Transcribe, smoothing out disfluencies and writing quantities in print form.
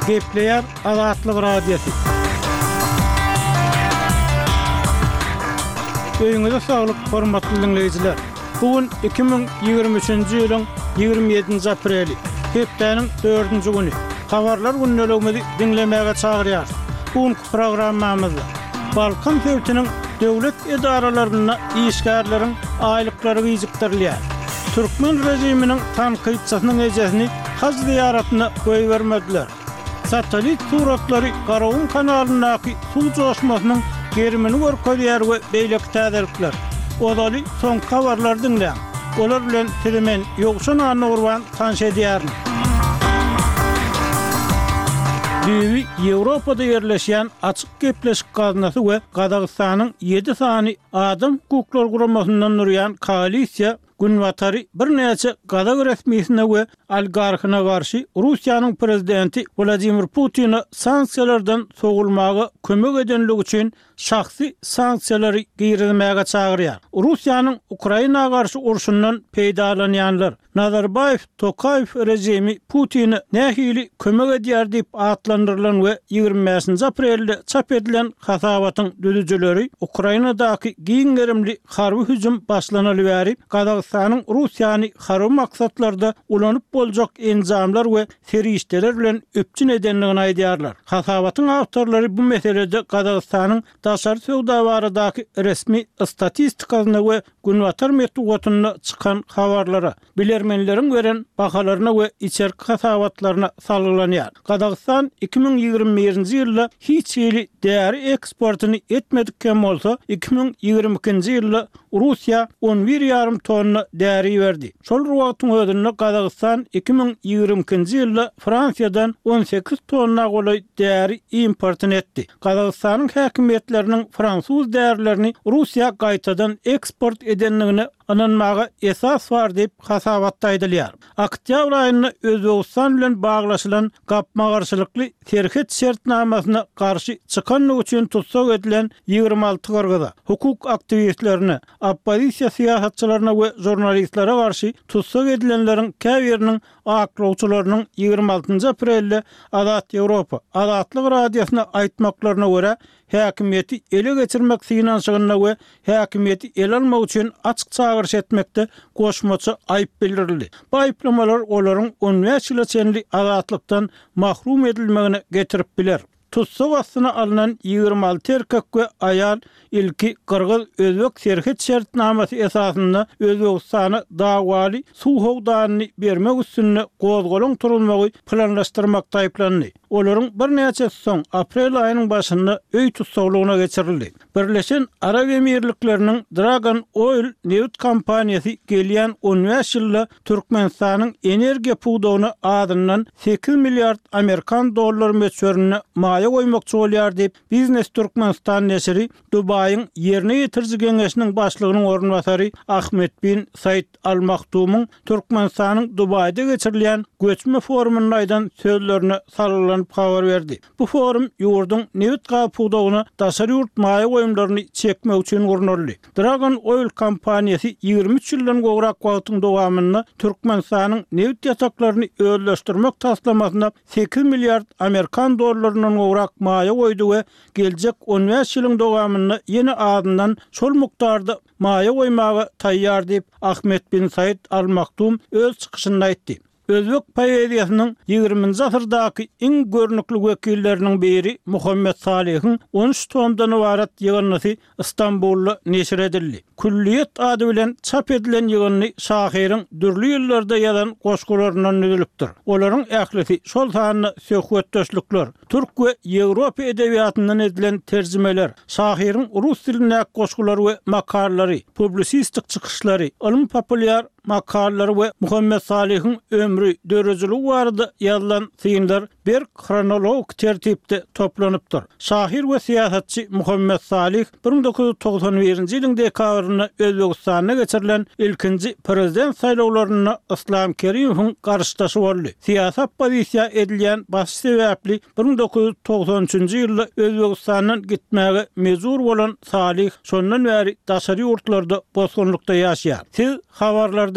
Gepleýär Azatlyk Radiosy. Öýüňize saglyk, hormatly diňleýjiler! Bu gün 2023-nji ýylyň 27-nji apreli, hepdäniň dördünji güni. Habarlar gündeligimizi diňlemäge çagyrýarys. Bu günki programmamyzda Balkan sebitiniň döwlet edaralarynda işgärleriň aýlyklary gijikdirilýär. Türkmen režiminiň tankytçysynyň ejesini haj zyýaratyna goýbermediler. Satellit suratlary Garagum kanalyndaky suw joşmasynyň gerimini görkezýär we beýleki täzelikler. Ozaly soňky habarlary diňläň. Olar bilen sizi men Ýowşan Annagurban tanyş edýärin. Düýbi Ýewropada ýerleşýän Açyk gepleşik gaznasy we Gazagystanyň ýedi sany adam hukuklary guramasyndan durýan koalisiýa Günbatary birnäçe gazak resmisine we oligarhyna garşy Russiýanyň prezidenti Wladimir Putine sanksiýalardan sowulmaga kömek edenligi üçin şahsy sanksiýalary girizmäge çagyrýar. Russiýanyň Ukraina garşy urşundan peýdalanýanlar, Nazarbaýew Tokaýew režimi Putine nähili kömek edýär diýip atlandyrylan we 25-nji aprelde çap edilen hasabatyň düzüjileri Ukrainadaky giň gerimli harby hüjüm başlanaly bäri Gazagystanyň Russiýany harby maksatlarda ulanyp boljak enjamlar we serişdeler bilen üpjün edendigini aýdýarlar. Hasabatyň awtorlary bu meselede Gazagystanyň daşary söwda baradaky resmi statistikasyna we günbatar metbugatynda çykan habarlara, bilermenleriň beren bahalaryna we içerki hasabatlaryna salgylanýar. Gazagystan 2021-nji ýylda hiç hili däri eksportyny etmedik hem bolsa, 2022-nji ýylda Russiýa on bir ýarym tonna däri iberdi. Şol bir wagtyň özünde Gazagystan 2022-nji ýylda Fransiýadan 18 tonna golaý däri importyny etdi. Gazagystanyň häkimiýetleriniň fransuz därilerini Russiýa gaýtadan eksport edendigine ynanmaga esas bar diýip, hasabatda aýdylýar. Oktýabr aýynda Özbegistan bilen baglaşylan gapma-garşylykly serhet şertnamasyna garşy çykandygy üçin tussag edilen 26 gyrgyza, hukuk aktiwistlerine, oppozisiýa syýasatçylaryna we žurnalistlere garşy tussag edilenleriň käbiriniň aklawçylarynyň 26 aprelde Azat Ýewropa, Azatlyk Radiosyna aýtmaklaryna görä, häkimiýeti ele geçirmek synanyşygynda we häkimiýeti ele almak üçin açyk çagyryş etmekde goşmaça aýyp bildirildi. Bu aýyplamalar olaryň on bäş ýyla çenli azatlykdan mahrum edilmegine getirip biler. Tussag astyna alnan 26 erkek we aýal ilki gyrgyz-özbek serhet şertnamasy esasynda Özbegistana dawaly suw howdanyny bermek üstünde gozgalaň turuzmagy planlaşdyrmakda aýyplandy. Olaryň birnäçesi soň, aprel aýynyň başynda öý tussaglygyna geçirildi. Birleşen Arap Emirlikleriniň Dragon Oil nebit kompaniýasy gelýän on bäş ýylda Türkmenistanyň energiýa pudagyna azyndan sekiz milliard amerikan dollary möçberinde maýa goýmakçy bolýar diýip, Biznes Türkmenistan neşiri Dubaýyň Ýerine ýetiriji geňeşiniň başlygynyň orunbasary Ahmed bin Said Al Maktumyň Türkmenistanyň Dubaýda geçirilýän göçme forumynda aýdan sözlerine salgylanyp habar berdi. Bu forum ýurduň nebit-gaz pudagyna daşary ýurt maýa goýumlaryny çekmek üçin gurnaldy. Dragon Oil kompaniýasy 23 ýyldan gowrak wagtyň dowamynda Türkmenistanyň nebit ýataklaryny özleşdirmek taslamasyna sekiz milliard amerikan dollaryndan gowrak maýa goýdy we geljek on bäş ýylyň dowamynda ýene azyndan şol mukdarda maýa goýmaga taýýar diýip, Ahmed bin Said Al Maktum öz çykyşynda aýtdy. Özbek poeziýasynyň ýigriminji asyrdaky iň görnükli wekilleriniň biri Muhammet Salyhyň on üç tomdan ybarat ýygyndysy Stambulda neşir edildi. Külliýet ady bilen çap edilen ýygyndy şahyryň dürli ýyllarda ýazan goşgularyndan düzülipdir. Olaryň ählisi, şol sanda söhbetdeşlikler, türk we ýewropa edebiýatyndan edilen terjimeler, şahyryň rus dilindäki goşgulary we makalalary, publisistik çykyşlary, ylmy-populýar makalalary we Muhammet Salyhyň ömri, döredijiligi barada ýazylan synlar berk hronologik tertipde toplanypdyr. Şahyr we syýasatçy Muhammet Salyh 1991-nji ýylyň dekabrynda Özbegistanda geçirilen ilkinji prezident saýlawlarynda Yslam Kerimowyň garşydaşy boldy. Syýasy oppozisiýa edilýän basyş sebäpli 1993-nji ýylda Özbegistandan gitmäge mejbur bolan Salyh şondan bäri daşary ýurtlarda bosgunlykda ýaşaýar. Siz habarlary diňläp.